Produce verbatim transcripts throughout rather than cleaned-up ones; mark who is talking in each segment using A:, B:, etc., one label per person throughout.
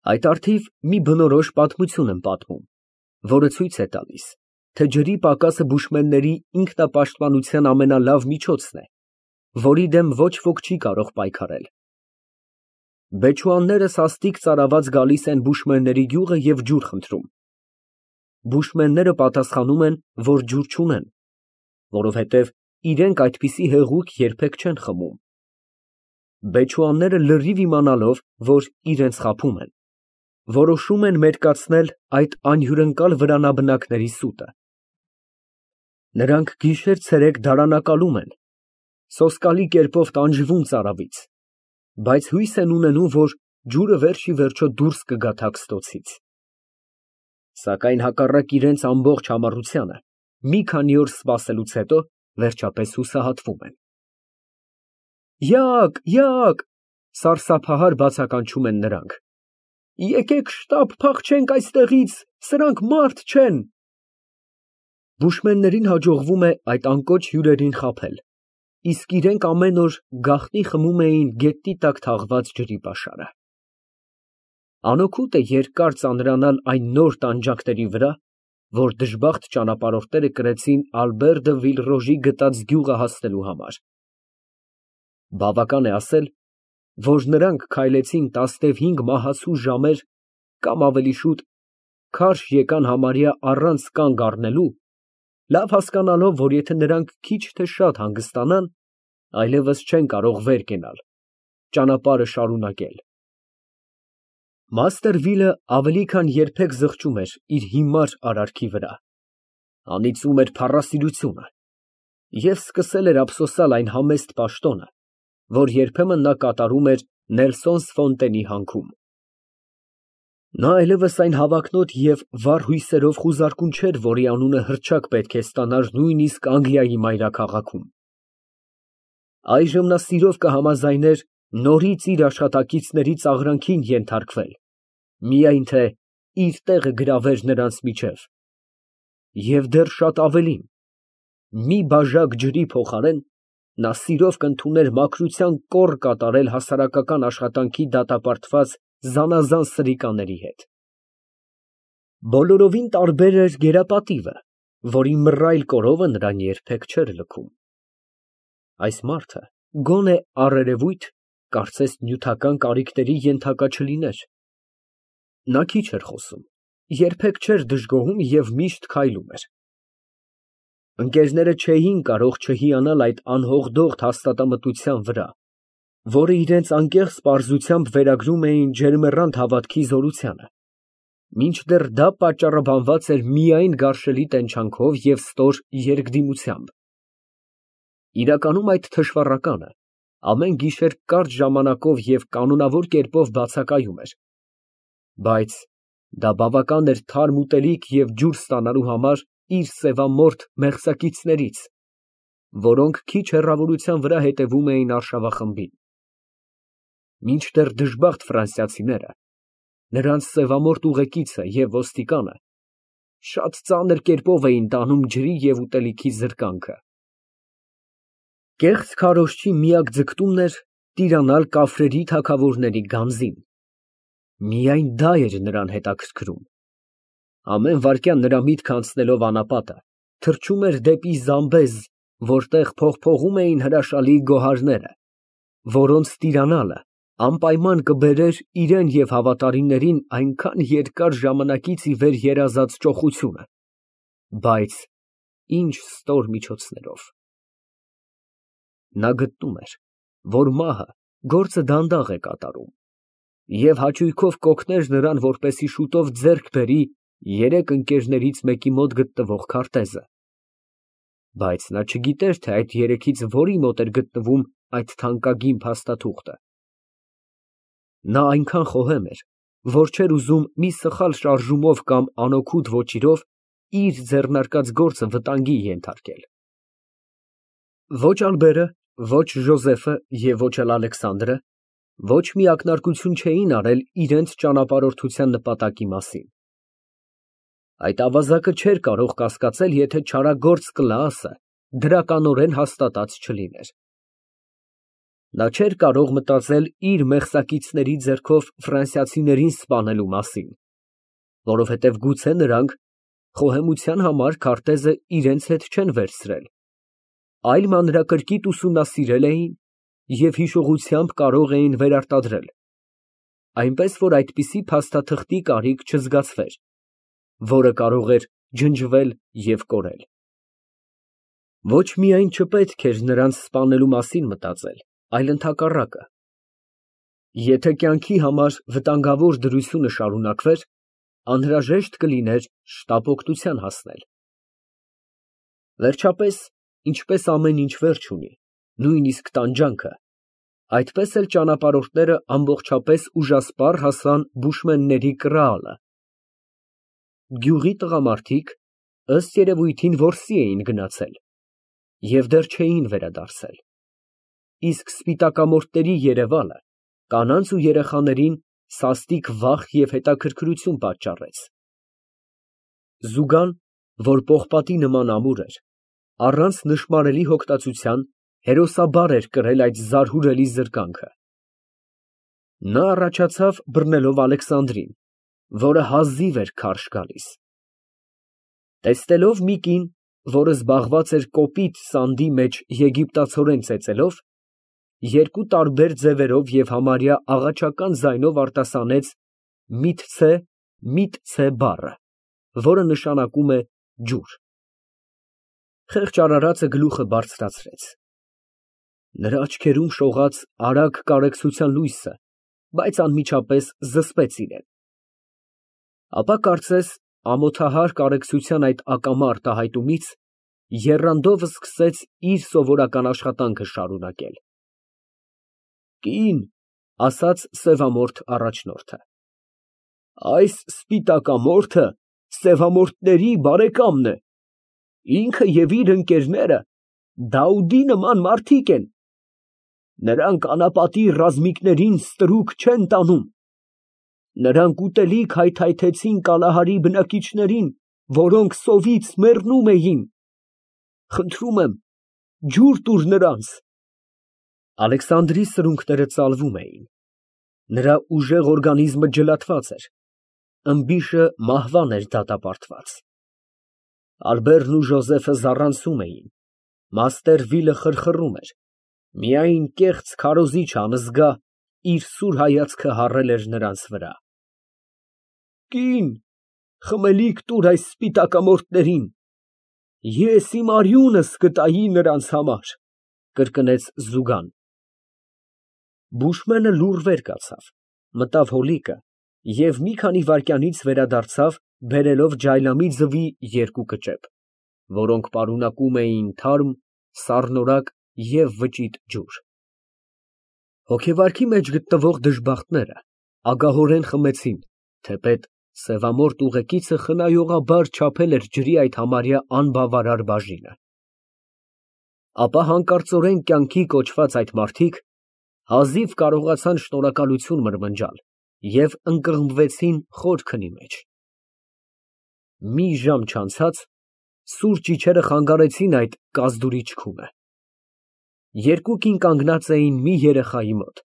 A: Այդ առթիվ մի բնորոշ պատմություն եմ պատմում, որը ցույց է տալիս, թե ջրի պակասը բուշմենների ինքնապաշտպանության ամենալավ միջոցն է, որի դեմ ոչ ոք չի կարող պայքարել։ Բեչուանները սաստիկ ծարաված գալիս են բուշմենների գյուղը և ջուր խնդրում։ Բուշմենները պատասխանում են, որ ջուր չունեն, որովհետև իրենք այդպիսի հեղուկ երբեք չեն խմում։ Բեչուանները լրիվ իմանալով, որ իրենց խաբում են, որոշում են մերկացնել այդ անհյուրընկալ վրանաբնակների սուտը։ Նրանք գիշեր֊ցերեկ դարանակալում են, սոսկալի կերպով տանջվում ծարավից, բայց հույս են ունենում, որ ջուրը վերջ ի վերջո դուրս կգա թաքստոցից։ Սակայն հակառակ իրենց ամբողջ համառությանը, մի քանի օր սպասելուց հետո վերջապես հուսահատվում են։ Յաակ, յաակ, սարսափահար բացականչում են նրանք։ Եկեք շտապ փախչենք այստեղից, սրանք մարդ չեն։ Բուշմեններին հաջողվում է այդ անկոչ հյուրերին խաբել, իսկ իրենք ամեն օր գաղտնի խմում էին գետնի տակ թաղված ջրի պաշարը։ Անօգուտ է երկար ծանրանալ այն նոր տանջանքների վրա, որ դժբախտ ճանապարհորդները կրեցին Ալբեր դը Վիլռոժի գտած գյուղը հասնելու համար։ Բավական է ասել, որ նրանք քայլեցին տասնհինգ մահացու ժամեր կամ ավելի շուտ, քարշ եկան համարյա առանց կանգ առնելու, լավ հասկանալով, որ եթե նրանք քիչ թե շատ հանգստանան, այլևս չեն կարող վեր կենալ, ճանապարհը շարունակել։ Մաստերվիլը ավելի քան երբեք զղջում էր իր հիմար արարքի վրա, անիծում էր փառասիրությունը և սկսել էր ափսոսալ այն համեստ պաշտոնը, որ երբեմն նա կատարում էր Նելսոն Ֆոնտենի հանքում։ Նա այլևս այն հավակնոտ և վառ հույսերով խուզարկուն չէր, որի անունը հռչակ պետք է ստանար նույնիսկ Անգլիայի մայրաքաղաքում։ Այժմ նա սիրով կհամաձայներ նորից իր աշխատակիցների ծաղրանքին ենթարկվել, միայն թե իր տեղը գրավեր նրանց միջև։ Եվ դեռ շատ ավելին, մի բաժակ ջրի փոխարեն նա սիրով կընդուներ մաքրության կոռ կատարել հասարակական աշխատանքի դատապարտված զանազան սրիկաների հետ։ Բոլորովին տարբեր էր գերապատիվը, որի մռայլ կորովը նրան երբեք չէր լքում։ Այս մարդը գոնե առերևույթ, կարծես նյութական կարիքների ենթակա չլիներ։ Նա քիչ էր խոսում, երբեք չէր դժգոհում և միշտ քայլում էր։ Ընկերները չէին կարող չհիանալ այդ անհողդողդ հաստատամտության վրա, որը իրենց անկեղծ պարզությամբ վերագրում էին ջերմեռանդ հավատքի զորությանը, մինչդեռ դա պատճառաբանված էր միայն գարշելի տենչանքով և ստոր երկդիմությամբ։ Իրականում այդ թշվառականը ամեն գիշեր կարճ ժամանակով և կանոնավոր կերպով բացակայում էր, բայց դա բավական էր թարմ ուտելիք և ջուր ստանալու համար իր սևամորթ մեղսակիցներից, որոնք քիչ հեռավորության վրա հետևում էին արշավախմբին։ Մինչդեռ դժբախտ ֆրանսիացիները, նրանց սևամորթ ուղեկիցը և ոստիկանը շատ ծանր կերպով էին տանում ջրի և ուտելիքի զրկանքը։ Կեղծ քարոզչի միակ ձգտումն էր տիրանալ կաֆրերի թագավորների գանձին։ Միայն դա էր նրան հետաքրքրում։ Ամեն վայրկյան նրա միտքը անցնելով անապատը, թռչում էր դեպի Զամբեզ, որտեղ փողփողում էին հրաշալի գոհարները, որոնց տիրանալը անպայման կբերեր իրան և հավատարիմներին այնքան երկար ժամանակից ի վեր երազած ճոխությունը, բայց ինչ ստոր միջոցներով։ Նա գտնում էր, որ մահը գործը դանդաղ է կատարում և հաճույքով կօգներ նրան, որպեսզի շուտով ձեռք բերի երեք ընկերներից մեկի մոտ գտնվող քարտեզը, բայց նա չգիտեր, թե այդ երեքից որի մոտ էր գտնվում այդ թանկագին փաստաթուղթը։ Նա այնքան խոհեմ էր, որ չէր ուզում մի սխալ շարժումով կամ անօգուտ ոճիրով իր ձեռնարկած գործը վտանգի ենթարկել։ Ոչ Ալբերը, ոչ Ժոզեֆը և ոչ էլ Ալեքսանդրը ոչ մի ակնարկություն չէին արել իրենց ճանապարհորդության նպատակի մասին։ Այդ ավազակը չէր կարող կասկածել, եթե չարագործ Կլաասը դրականորեն հաստատած չլիներ։ Նա չէր կարող մտածել իր մեղսակիցների ձեռքով ֆրանսիացիներին սպանելու մասին, որովհետև գուցե նրանք խոհեմության համար քարտեզը իրենց հետ չեն վերցրել, այլ մանրակրկիտ ուսումնասիրել էին և հիշողությամբ կարող էին վերարտադրել, այնպես որ այդպիսի փաստաթղթի կարիք չզգացվեր, որը կարող էր ջնջվել և կորել։ Ոչ միայն չպետք էր նրանց սպանելու մասին մտածել, այլ ընդհակառակը. եթե կյանքի համար վտանգավոր դրությունը շարունակվեր, անհրաժեշտ կլիներ շտապօգնության հասնել։ Վերջապես, ինչպես ամեն ինչ վերջ ունի, նույնիսկ տանջանքը, այդպես էլ ճանապարհորդները ամբողջապես ուժասպառ հասան բուշմենների կրալը։ Գյուղի տղամարդիկ, ըստ երևույթին, որսի էին գնացել և դեռ չէին վերադարձել, իսկ սպիտակամորթների երևալը կանանց ու երեխաներին սաստիկ վախ և հետաքրքրություն պատճառեց։ Զուգան, որ պողպատի նման ամուր էր, առանց նշմարելի հոգտածության հերոսաբար էր կրել այդ զարհուրելի զրկանքը։ Նա առաջացավ բռնելով Ալեքսանդրին, որը հազիվ էր քարշ գալիս։ Տեսնելով մի կին, որը զբաղված էր կոպիտ սանդի մեջ եգիպտացորեն ծեծելով, երկու տարբեր ձևերով և համարյա աղաչական ձայնով արտասանեց «միթցե, միթցե» բառը, որը նշանակում է ջուր։ Խեղճ արարածը գլուխը բարձրացրեց։ Նրա աչքերում շողաց արագ կարեկցության լույսը, բայց անմիջապես զսպեց իրեն։ Ապա կարծես ամոթահար կարեկցության այդ ակամա արտահայտումից եռանդով սկսեց իր սովորական աշխատանքը շարունակել։ ֊ Կին, ֊ ասաց սևամորթ առաջնորդը, ֊ այս սպիտակամորթը սևամորթների բարեկամն է, ինքը և իր ընկերները Դաուդի նման մարդիկ են, նրանք անապատի ռազմիկներին ստրուկ չեն տանում, նրանք ուտելիք հայթայթեցին Կալահարի բնակիչներին, որոնք սովից մեռնում էին, խնդրում եմ, ջուր տուր նրանց։ Ալեքսանդրի սրունքները ծալվում էին, նրա ուժեղ օրգանիզմը ջլատված էր, ըմբիշը մահվան էր դատապարտված։ Ալբերն ու Ժոզեֆը զառանցում էին, մաստեր Վիլը խրխռում էր, միայն կեղծ քարոզիչ անզգա իր սուր հայացքը հառել էր նրանց վրա։ Կին, խմելիք տուր այս սպիտակամորթներին, ես իմ արյունս կտայի նրանց համար, ֊ կրկնեց Զուգան։ Բուշմենը լուռ վեր կացավ, մտավ հոլիկը և մի քանի վայրկյանից վերադարձավ բերելով ջայլամի ձվի երկու կճեպ, որոնք պարունակում էին թարմ, սառնորակ և վճիտ ջուր։ Հոգեվարքի մեջ գտնվող դժբախտները ագահորեն խմեցին, թեպետ սևամորթ ուղեկիցը խնայողաբար չափել էր ջրի այդ համարյա անբավարար բաժինը։ Ապա հանկարծորեն կյանքի կոչված այդ մարդիկ հազիվ կարողացան շնորհակալություն մրմնջալ և ընկղմվեցին խոր քնի մեջ։ Մի ժամ չանցած սուրճ իջերը խանգարեցին այդ կազդուրիչ քունը։ Երկու կին կանգնած էին մի երեխայի մոտ,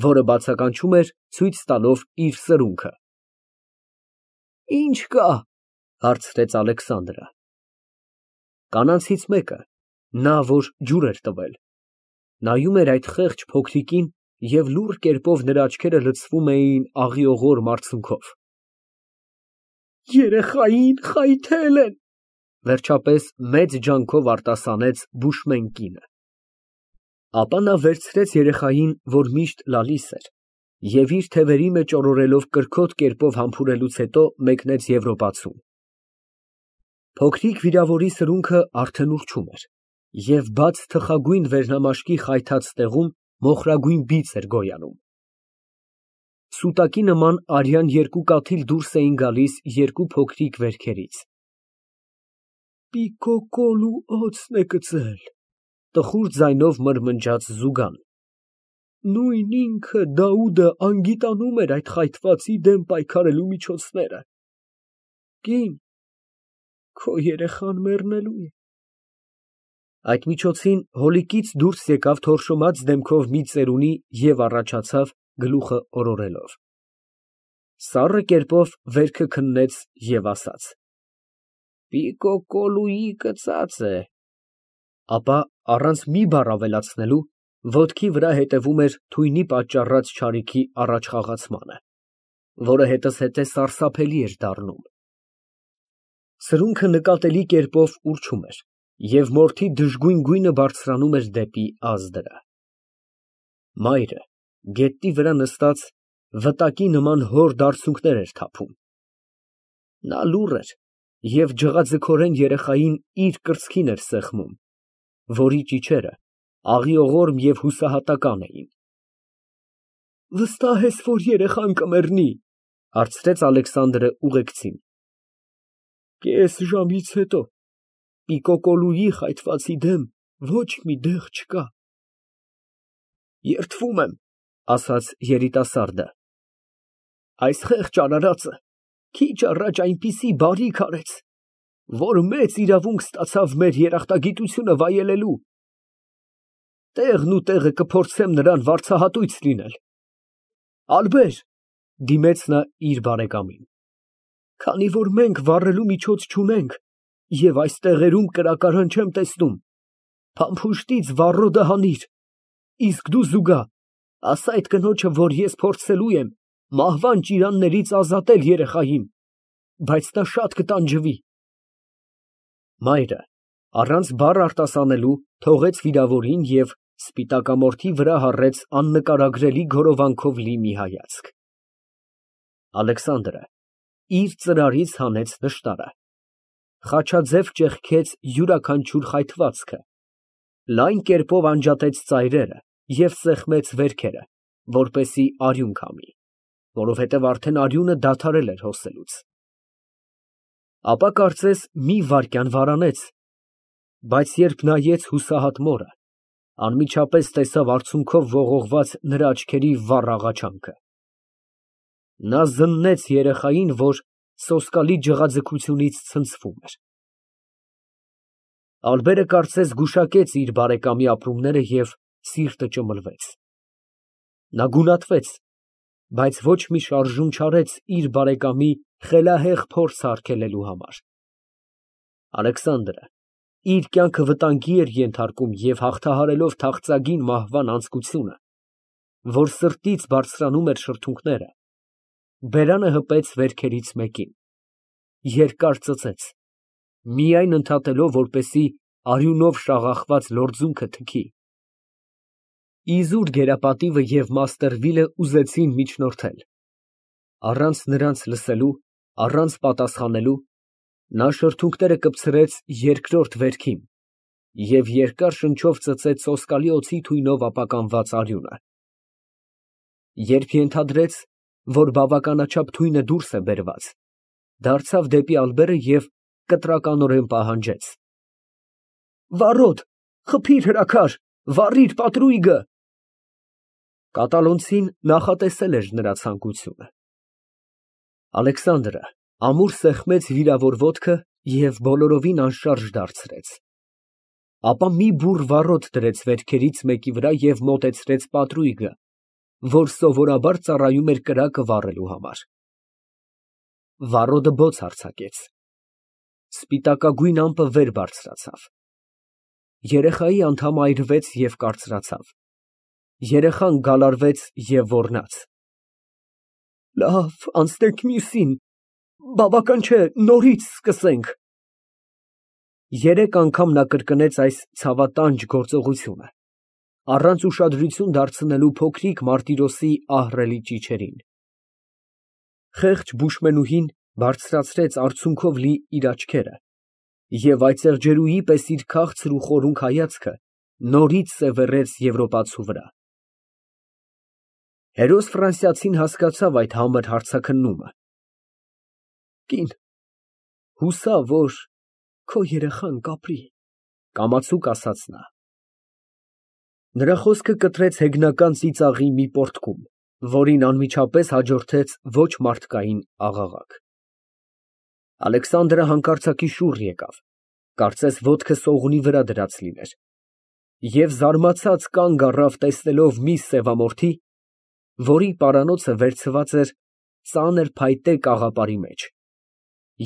A: որը բացականչում էր, ցույց տալով իր սրունքը։ ֊ Ի՞նչ կա, ֊ հարցրեց Ալեքսանդրը։ Կանանցից մեկը, նա, որ ջուր էր տվել, նայում էր այդ խեղճ փոքրիկին և լուռ կերպով նրա աչքերը լցվում էին աղիողոր մարցունքով։ Երեխային խայթել են, ֊ վերջապես մեծ ջանքով արտասանեց բուշմեն կինը։ Ապա նա վերցրեց երեխային, որ միշտ լալիս էր, և իր թևերի մեջ օրորելով կրքոտ կերպով համբուրելուց հետո մեկնեց Եվրոպացուն։ Փոքրիկ վիրավորի սրունքը արդեն ուռչում էր, և բաց թխագույն վերնամաշկի խայթած տեղում մոխրագույն բիծ էր գոյանում։ Սուտակի նման արյան երկու կաթիլ դուրս էին գալիս երկու փոքրիկ վերքերից։ Պիկկոլու օձն է կծել, ֊ տխուր ձայնով մրմնջաց Զուգան։ Նույն ինքը Դաուդը անգիտանում էր այդ խայթվածի դեմ պայքարելու միջոցները։ Կին, քո երեխան մեռնելու է։ Այդ միջոցին հոլիկից դուրս եկավ թորշոմած դեմքով մի ծերունի և առաջացավ գլուխը օրորելով։ Սառը կերպով վերքը քննեց և ասաց. Պիկկոլուի կծած է։ Ապա առանց մի բառ ավելացնելու ոտքի վրա հետևում էր թույնի պատճառած չարիքի առաջխաղացմանը, որը հետզհետե սարսափելի էր դառնում։ Սրունքը նկատելի կերպով ուռչում էր, և մորթի դժգույն գույնը բարձրանում էր դեպի ազդրը։ Մայրը գետնի վրա նստած վտակի նման հորդ արցունքներ էր թափում։ Նա լուռ էր և ջղաձգորեն երեխային իր կրծքին էր սեղմում, որի ճիչերը աղիողորմ և հուսահատական էին։ Վստահ ես, որ երեխան կմեռնի, ֊ հարցրեց Ալեքսանդրը ուղեկցին։ Կես ժամից հետո Պիկկոլուի խայթվածի դեմ ոչ մի դեղ չկա։ Երդվում եմ, ֊ ասաց երիտասարդը։ Այս խեղճ արարածը քիչ առաջ այնպիսի բարիք արեց, որ մեծ իրավունք ստացավ մեր երախտագիտությունը վայելելու։ Տեղն ու տեղը կփորձեմ նրան վարձահատույց լինել։ Ալբեր, ֊ դիմեց նա իր բարեկամին, ֊ քանի որ մենք վառելու միջոց չունենք և այս տեղերում կրակարան չեմ տեսնում, փամփուշտից վառոդը հանիր, իսկ դու զուգահ ասա այդ կնոջը, որ ես փորձելու եմ մահվան ճիրաններից ազատել երեխային, բայց նա շատ կտանջվի։ Մայրը առանց բառ արտասանելու թողեց վիրավորին և սպիտակամորթի վրա հառեց աննկարագրելի գորովանքով լի մի հայացք։ Ալեքսանդրը իր ծրարից հանեց նշտարը, խաչաձև ճեղքեց յուրաքանչյուր խայթվածքը, լայն կերպով անջատեց ծայրերը և սեղմեց վերքերը, որպեսզի արյուն քամի, որովհետև արդեն արյունը դադարել էր հոսելուց։ Ապա կարծես մի վայրկյան վարանեց, բայց երբ նայեց հուսահատ մորը, անմիջապես տեսավ արցունքով ողողված նրա աչքերի վառ աղաչանքը։ Նա զննեց երեխային, որ սոսկալի ջղաձգությունից ցնցվում էր։ Ալբերը կարծես գուշակեց իր բարեկամի ապրումները և սիրտը ճմլվեց։ Նա գունատվեց, բայց ոչ մի շարժում չարեց իր բարեկամի խելահեղ փորձը արգելելու համար։ Ալեքսանդրը իր կյանքը վտանգի էր ենթարկում և հաղթահարելով թախծագին մահվան անձկությունը, որ սրտից բարձրանում էր շրթունքները, բերանը հպեց վերքերից մեկին, երկար ծծեց, միայն ընդհատելով, որպեսզի արյունով շաղախված լորձունքը թքի։ Իզուր գերապատիվը և մաստերվիլը ուզեցին միջնորդել։ Առանց նրանց լսելու, առանց պատասխանելու, նա շրթունքները կպցրեց երկրորդ վերքին և երկար շնչով ծծեց սոսկալի օձի թույնով ապականված արյունը։ Երբ ենթադրեց, որ բավականաչափ թույնը դուրս է բերված, դարձավ դեպի Ալբերը և կտրականորեն պահանջեց. Վառոդ, խփիր հրաքար, վառիր պատրույգը։ Կատալոնցին նախատեսել էր նրա ցանկությունը։ Ալեքսանդրը ամուր սեղմեց վիրավոր ոտքը և բոլորովին անշարժ դարձրեց։ Ապա մի բուռ վառոդ դրեց վերքերից մեկի վրա և մոտեցրեց պատրույգը, որ սովորաբար ծառայում էր կրակը վառելու համար։ Վառոդը բոց արձակեց։ Սպիտակագույն ամպը վեր բարձրացավ։ Երեխայի անդամը այրվեց և կարծրացավ։ Երեխան գալարվեց և ոռնաց։ Լավ, անցնենք մյուսին, բավական չէ, նորից սկսենք։ Երեք անգամ նա կրկնեց այս ցավատանջ գործողությունը, առանց ուշադրություն դարձնելու փոքրիկ Մարտիրոսի ահռելի ճիչերին։ Խեղճ բուշմենուհին բարձրացրեց արցունքով լի իր աչքերը և այծեղջերուի պես իր քաղցր ու խորունկ հայացքը նորից սևեռեց եվրոպացու վրա։ Հերոս Ֆրանսիացին հասկացավ այդ համր հարցաքննումը։ Կին, հուսա, որ քո երեխան կապրի, ֊ կամացուկ ասաց նա։ Նրա խոսքը կտրեց հեգնական ծիծաղի մի պոռթկում, որին անմիջապես հաջորդեց ոչ մարդկային աղաղակ։ Ալեքսանդրը հանկարծակի շուռ եկավ։ կարծես ոտքը սողունի վրա դրած լիներ, և զարմացած կանգ առավ, տեսնելով մի սևամորթի, որի պարանոցը վերցված էր ծանր փայտե կաղապարի մեջ,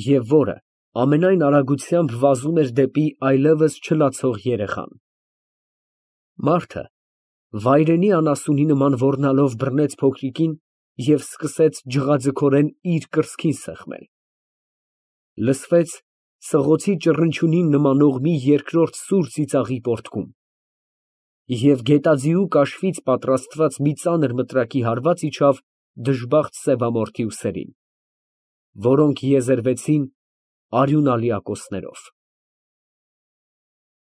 A: և որը ամենայն արագությամբ վազում էր դեպի այլևս չլացող երեխան։ Մարդը վայրենի անասունի նման ոռնալով բռնեց փոքրիկին և սկսեց ջղաձգորեն իր կրծքին սեղմել. լսվեց սղոցի ճռնչյունին նմանող մի երկրորդ սուր ծիծաղի պոռթկում, և գետաձիու կաշվից պատրաստված մի ծանր մտրակի հարված իջավ դժբախտ սևամորթի ուսերին, որոնք եզերվեցին արյունալի ակոսներով։